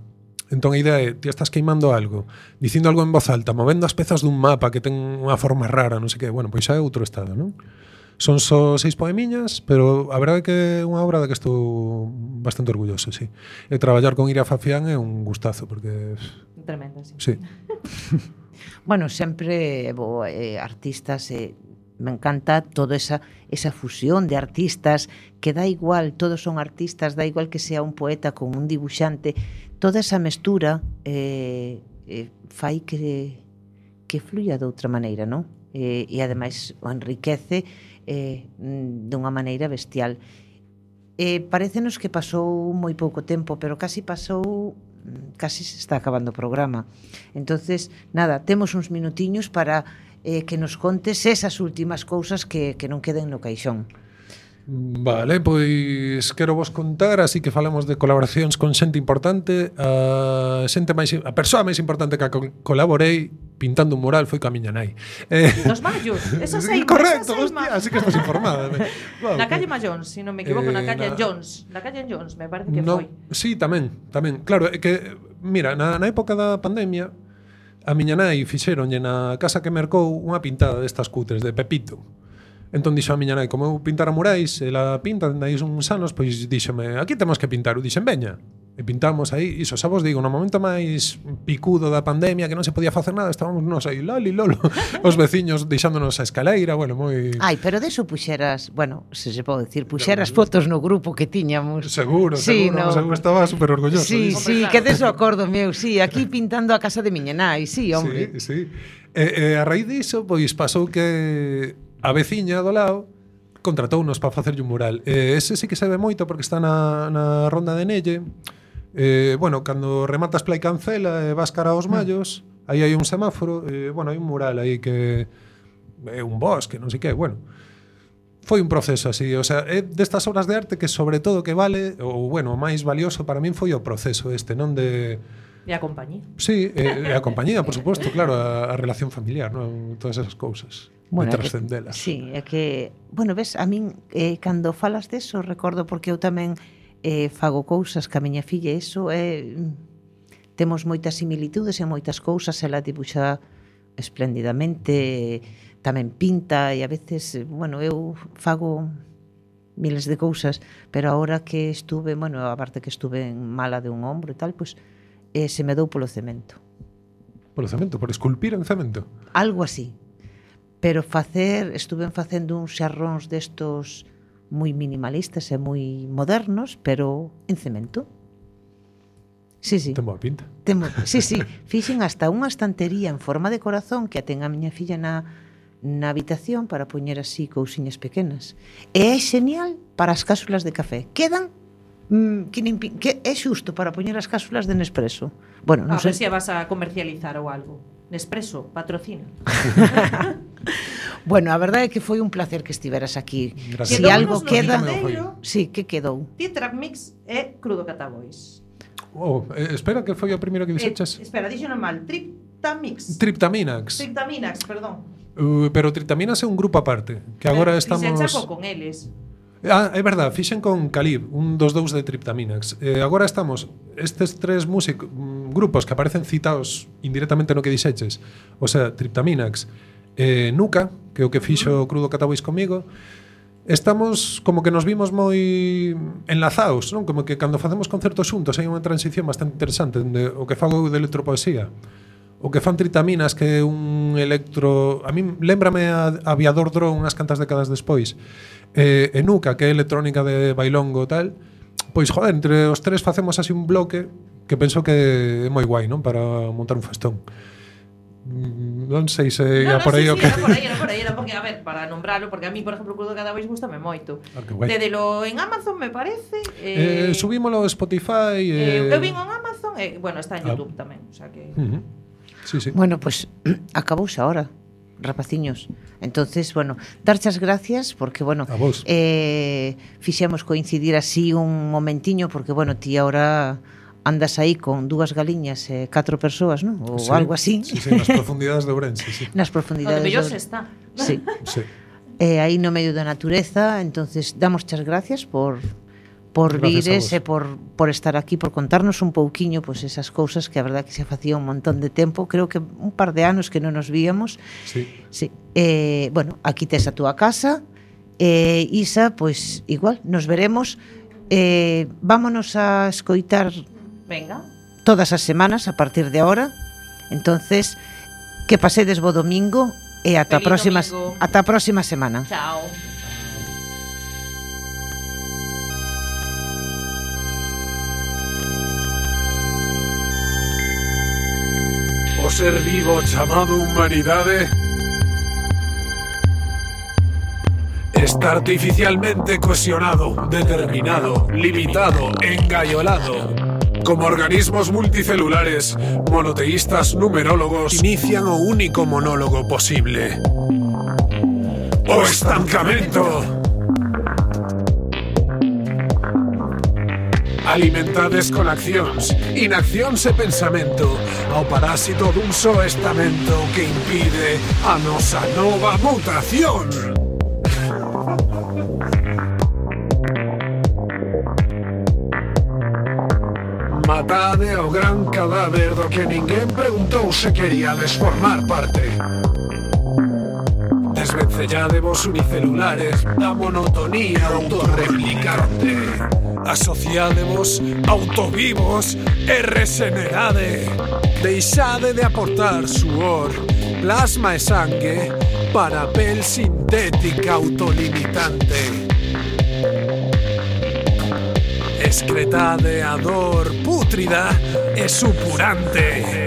Entón a idea é, ti estás queimando algo, dicindo algo en voz alta, movendo as pezas dun mapa que ten unha forma rara, non sei que, bueno, pois xa é outro estado, non? Son só 6 poemiñas, pero a verdade é que é unha obra da que estou bastante orgulloso, sí. E traballar con Iria Fafián é un gustazo, porque... Tremenda, sí. Sí. Bueno, sempre artistas, me encanta toda esa fusión de artistas, que dá igual, todos son artistas, dá igual que sea un poeta con un dibuixante, toda esa mestura fai que fluya de outra maneira, non? E ademais o enriquece dunha maneira bestial. Parécenos que pasou moi pouco tempo, pero casi se está acabando o programa. Entonces, nada, temos uns minutiños para que nos contes esas últimas cousas que non queden no caixón. Vale, pois quero vos contar, así que falamos de colaboracións con xente importante. A persoa máis importante que colaborei pintando un mural foi coa miña nai. Nos Mayos, esa seima. Correcto, hostia, así que estás informada. Wow. Na calle Mayons, se non me equivoco, na calle Jones. Na calle Jones, me parece que foi. Sí, tamén. Claro, é que Mira, na época da pandemia, a miña nai fixeronlle na casa que mercou unha pintada destas cutres de Pepito. Entón dixo a miña nai, como eu pintara murais, ela pinta dende aí uns anos, pois díxome, aquí temos que pintar. Eu dixen, veña. E pintamos aí, iso xa vos digo, no momento máis picudo da pandemia, que non se podía facer nada, estábamos nos aí, loli, lolo, os veciños deixándonos a escaleira, bueno, moi... Ai, pero deso puxeras, bueno, se pode decir, puxeras fotos no grupo que tiñamos. Seguro, sí, seguro, no. Estaba super orgulloso. Sí, sí, que deso acordo meu, sí, aquí pintando a casa de miña nai, sí, hombre. Sí, sí. A raíz diso, pois pasou que a veciña do lado contratounos para facerlle un mural. Ese sí que se ve moito porque está na Ronda de Nelle. Bueno, cando rematas Play Cancela e vas cara aos Mallos, aí hai un semáforo, bueno, hai un mural aí que é un bosque, non sei que, bueno. Foi un proceso así, o sea, é destas obras de arte que sobre todo que vale, ou bueno, o máis valioso para min foi o proceso este, non de... E a compañía. Sí, e a compañía, por suposto, claro, a relación familiar, non? Todas esas cousas. Bueno, de trascendelas. Sí, é que, bueno, ves, a min, cando falas deso, recordo porque eu tamén fago cousas ca miña filla, eso temos moitas similitudes e moitas cousas, ela dibuxa espléndidamente, tamén pinta e a veces, bueno, eu fago miles de cousas, pero agora que estuve, bueno, aparte que estuve mala de un ombro e tal, pois se me dou polo cemento. Polo cemento? Por esculpir en cemento? Algo así. Pero estuve facendo uns xarróns destos moi minimalistas e moi modernos, pero en cemento. Sí, sí. Ten boa pinta. Sí, sí. Fixen hasta unha estantería en forma de corazón que a ten a miña filla na habitación para poñer así cousiñas pequenas. E é genial para as cápsulas de café. Quedan que é xusto para poñer as cápsulas de Nespresso. Bueno, non sei se vas a comercializar ou algo. Nespresso, patrocina. Bueno, a verdade é que foi un placer que estiveras aquí. Gracias. Si algo queda... Sí, que quedou? Tetrack Mix e Crudo Catabois. Espera, que foi o primeiro que dixeches? Espera, dixo mal. Triptamix. Triptaminax, perdón. Pero Triptaminax é un grupo aparte, que agora estamos... Fixen chaco con eles. É verdad, fixen con Calib, un dos dous de Triptaminax. Agora estamos estes tres grupos que aparecen citados indirectamente no que dixeches. O sea, Triptaminax, Nuca, que é o que fixo Crudo Catabois comigo. Estamos como que nos vimos moi enlazados, non? Como que cando facemos concertos xuntos hai unha transición bastante interesante de o que fago eu de electropoesía. O que fan Tritaminas, que é un electro... A mí lémbrame a Aviador Drone unhas cantas décadas despois. E Nuca, que é electrónica de bailongo e tal. Pois, joder, entre os tres facemos así un bloque que penso que é moi guai, non? Para montar un festón. Non sei se era por aí o que... Era porque, a ver, para nombralo, porque a mí, por exemplo, Crudo Catabois gustame moito. Dedelo en Amazon, me parece. Subímolo a Spotify. Eu vin en Amazon, bueno, está en YouTube tamén, o sea que... Sí, sí. Bueno, pues acabouse ahora, rapaciños. Entonces, bueno, darchas gracias porque, bueno, fixemos coincidir así un momentiño porque, bueno, ti ahora andas aí con 2 galiñas e 4 persoas, non? Ou sí, algo así. Sí, sí, nas profundidades de Ourense, sí. Nas profundidades de Ourense está. Sí. Sí. Aí no medio da natureza, entonces damos as gracias por vires e por estar aquí, por contarnos un pouquiño pues, esas cousas que a verdad que se facía un montón de tempo, creo que un par de anos que non nos víamos. Sí. Sí. Bueno, aquí tes a túa casa. Isa, pues igual, nos veremos. Vámonos a escoitar Venga. Todas as semanas a partir de ahora. Entonces, que pasedes bo domingo e ata a próxima semana. Chao. O ser vivo chamado humanidade está artificialmente cohesionado, determinado, limitado, engaiolado. Como organismos multicelulares, monoteístas numerólogos inician o único monólogo posible. O estancamento. Alimentades con accións, inaccións e pensamento ao parásito dun só estamento que impide a nosa nova mutación. Matade ao gran cadáver do que ninguén preguntou se queríades formar parte. Desvencelládevos unicelulares da monotonía autorreplicante. Asociádevos autovivos e resenerade. Deixade de aportar suor, plasma e sangue para pel sintética autolimitante. Excretade a dor pútrida e supurante.